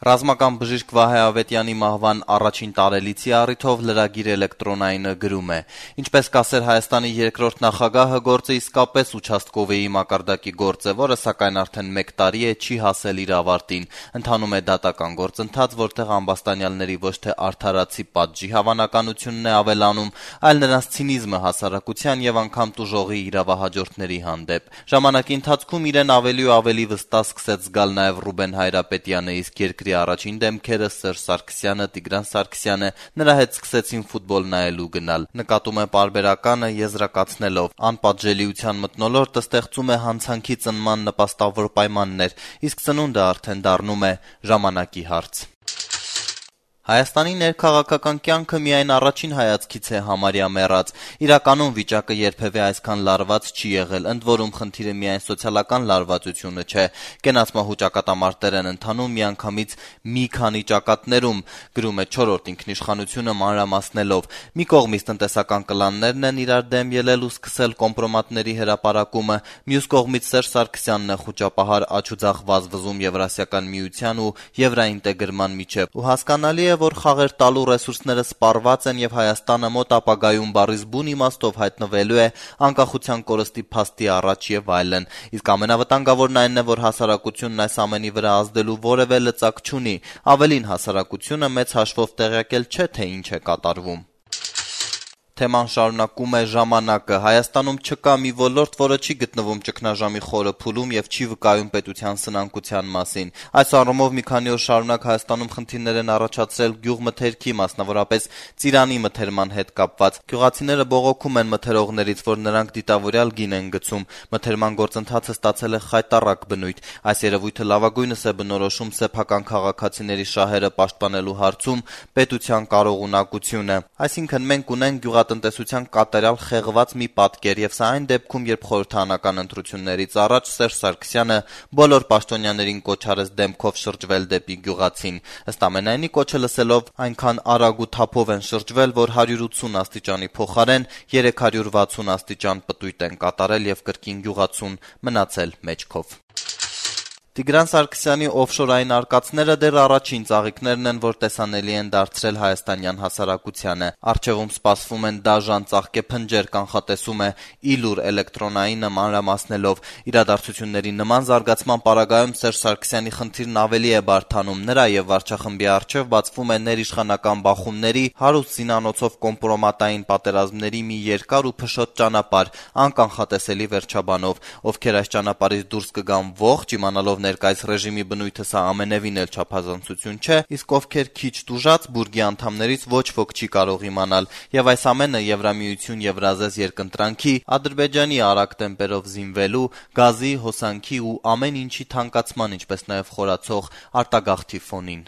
Ռազմական բժիշկ Վահե Ավետյանի մահվան առաջին տարելիցի առիթով լրագիր էլեկտրոնայինը գրում է. Ինչպես կասեր Հայաստանի երկրորդ նախագահը, գործը իսկապես участковեի մակարդակի գործ է, որը սակայն արդեն 1 տարի է չի հասել իր ավարտին։ Ընթանում է դատական գործընթաց, որտեղ ամբաստանյալների ոչ թե արդարացի պատժի հավանականությունն է ավելանում, այլ նրանց ցինիզմը հասարակության եւ անգամ տուժողի իրավահաջորդների հանդեպ։ Ժամանակի ընթացքում իրեն ավելի ու ավելի վստահ սկսեց զգալ նաեւ Ռուբեն Հայրապետյանը, իսկ երկրի առաջին դեմքերը Սերժ Սարգսյանը, Տիգրան Սարգսյանը նրա հետ սկսեցին ֆուտբոլ նայելու գնալ։ Նկատում է պարբերականը եզրակացնելով. անպատժելիության մթնոլորտը ստեղծում է հանցանքի ծնման նպաստավոր պայմաններ, իսկ ծնունդը արդեն դառնում է ժամանակի հարց։ Հայաստանի ներքաղաքական կյանքը միայն առաջին հայացքից է համարյա մեռած։ Իրականում վիճակը երբևէ այսքան լարված չի եղել, ընդ որում խնդիրը միայն սոցիալական լարվածությունը չէ։ Կենացմահու ճակատամարտեր են ընթանում միանգամից մի քանի ճակատներում, գրում է 4-րդ ինքնիշխանությունը մանրամասնելով։ Մի կողմից տնտեսական կլաններն են իրար դեմ ելել ու սկսել կոմպրոմատների հրապարակումը, մյուս կողմից Սերժ Սարգսյանն է խուճապահար աջ ու ձախ վազվզում Եվրասիական միության ու եվրաինտեգրման միջև։ Ու հասկանալի է, որ խաղեր տալու ռեսուրսները սպառված են եւ Հայաստանը մոտ ապագայում բառից բուն իմաստով հայտնվելու է անկախության կորստի փաստի առաջ եւ այլն։ Իսկ ամենավտանգավորն այն է, որ հասարակությունն այս ամենի վրա ազդելու որևէ լծակ չունի։ Ավելին, հասարակությունը մեծ հաշվով տեղյակ էլ չէ, թե ինչ է կատարվում։ Թեման շարունակում է ժամանակը։ Հայաստանում չկա մի ոլորտ, որը չի գտնվում ճգնաժամի խորը փուլում եւ չի վկայում պետության սնանկության մասին։ Այս առումով մի քանի օր շարունակ Հայաստանում խնդիրներ են առաջացրել գյուղմթերքի, մասնավորապես ծիրանի մթերման հետ կապված։ Գյուղացիները բողոքում են մթերողներից, որ նրանք դիտավորյալ գին են գցում։ Մթերման գործընթացը ստացել է խայտառակ բնույթ։ Այս երևույթը լավագույնս է բնորոշում սեփական քաղաքացիների շահերը պաշտպանելու հարցում պետության կարողունակությունը։ Այսինքն մենք ունենք տնտեսության կատարյալ խեղված մի պատկեր եւ սա այն դեպքում, երբ խորհրդարանական ընտրություններից առաջ Սերժ Սարգսյանը բոլոր պաշտոնյաներին կոչ արեց դեմքով շրջվել դեպի գյուղացին։ Ըստ ամենայնի կոչը լսելով այնքան արագ ու թափով են շրջվել, որ 180 աստիճանի փոխարեն 360 աստիճան պտույտ են կատարել եւ կրկին գյուղացուն մնացել մեջքով։ Տիգրան Սարգսյանի օֆշորային արկածները դեռ առաջին ծաղիկներն են, որ տեսանելի են դարձրել հայաստանյան հասարակությանը։ Առջևում սպասվում են դաժան ծաղկեփնջեր, կանխատեսում է Իլուր էլեկտրոնայինը մանրամասնելով։ Իրադարձությունների նման զարգացման պարագայում Սերժ Սարգսյանի խնդիրն ավելի է բարդանում։ Նրա եւ վարչախմբի առջև բացվում է ներիշխանական բախումների, հարուստ զինանոցով կոմպրոմատային պատերազմների մի երկար ու փշոտ ճանապարհ, անկանխատեսելի վերջաբանով։ Ովքեր այս ճանապարհից դուրս կգան ողջ, իմանալով ներկայիս ռեժիմի բնույթը, սա ամենևին էլ չափազանցություն չէ, իսկ ովքեր քիչ տուժած բուրգի անդամներից ոչ ոք չի կարող իմանալ, եւ այս ամենը Եվրամիություն Եվրազես երկընտրանքի, Ադրբեջանի արագ տեմպերով զինվելու, գազի, հոսանքի ու ամեն ինչի թանկացման, ինչպես նաեւ խորացող արտագաղթի ֆոնին։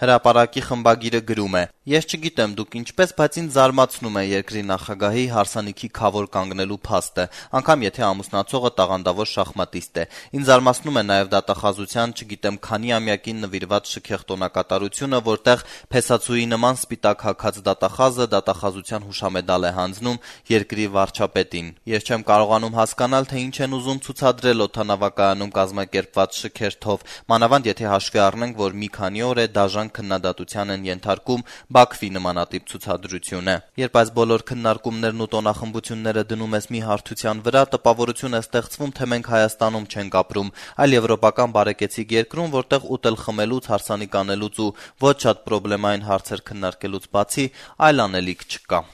Հրապարակի խմբագիրը գրում է. Ես չգիտեմ դուք ինչպես, բայց ինձ զարմացնում է երկրի նախագահի հարսանիքի քավոր կանգնելու փաստը, անգամ եթե ամուսնացողը տաղանդավոր շախմատիստ է։ Ինձ զարմացնում է նաև դատախազության, չգիտեմ քանի ամյակին նվիրված շքեղ տոնակատարությունը, որտեղ փեսացուի նման սպիտակ հագած դատախազը դատախազության հուշամեդալ է հանձնում երկրի վարչապետին։ Ես չեմ կարողանում հասկանալ, թե ինչ են ուզում ցուցադրել օդանավակայանում կազմակերպված շքերթով, մանավանդ եթե հաշվի առնենք, որ մի քանի օր է դաժան քննադատության են ենթարկում Բաքվի նմանատիպ ցուցադրությունը։ Երբ այս բոլոր քննարկումներն ու տոնախմբությունները դնում ես մի հարթության վրա, տպավորություն է ստեղծվում, թե մենք Հայաստանում չենք ապրում, այլ եվրոպական բարեկեցիկ երկրում, որտեղ ուտել խմելուց, հարսանիք անելուց ու ոչ շատ պրոբլեմային հարցեր քննարկելուց բացի այլ անելիք չկա։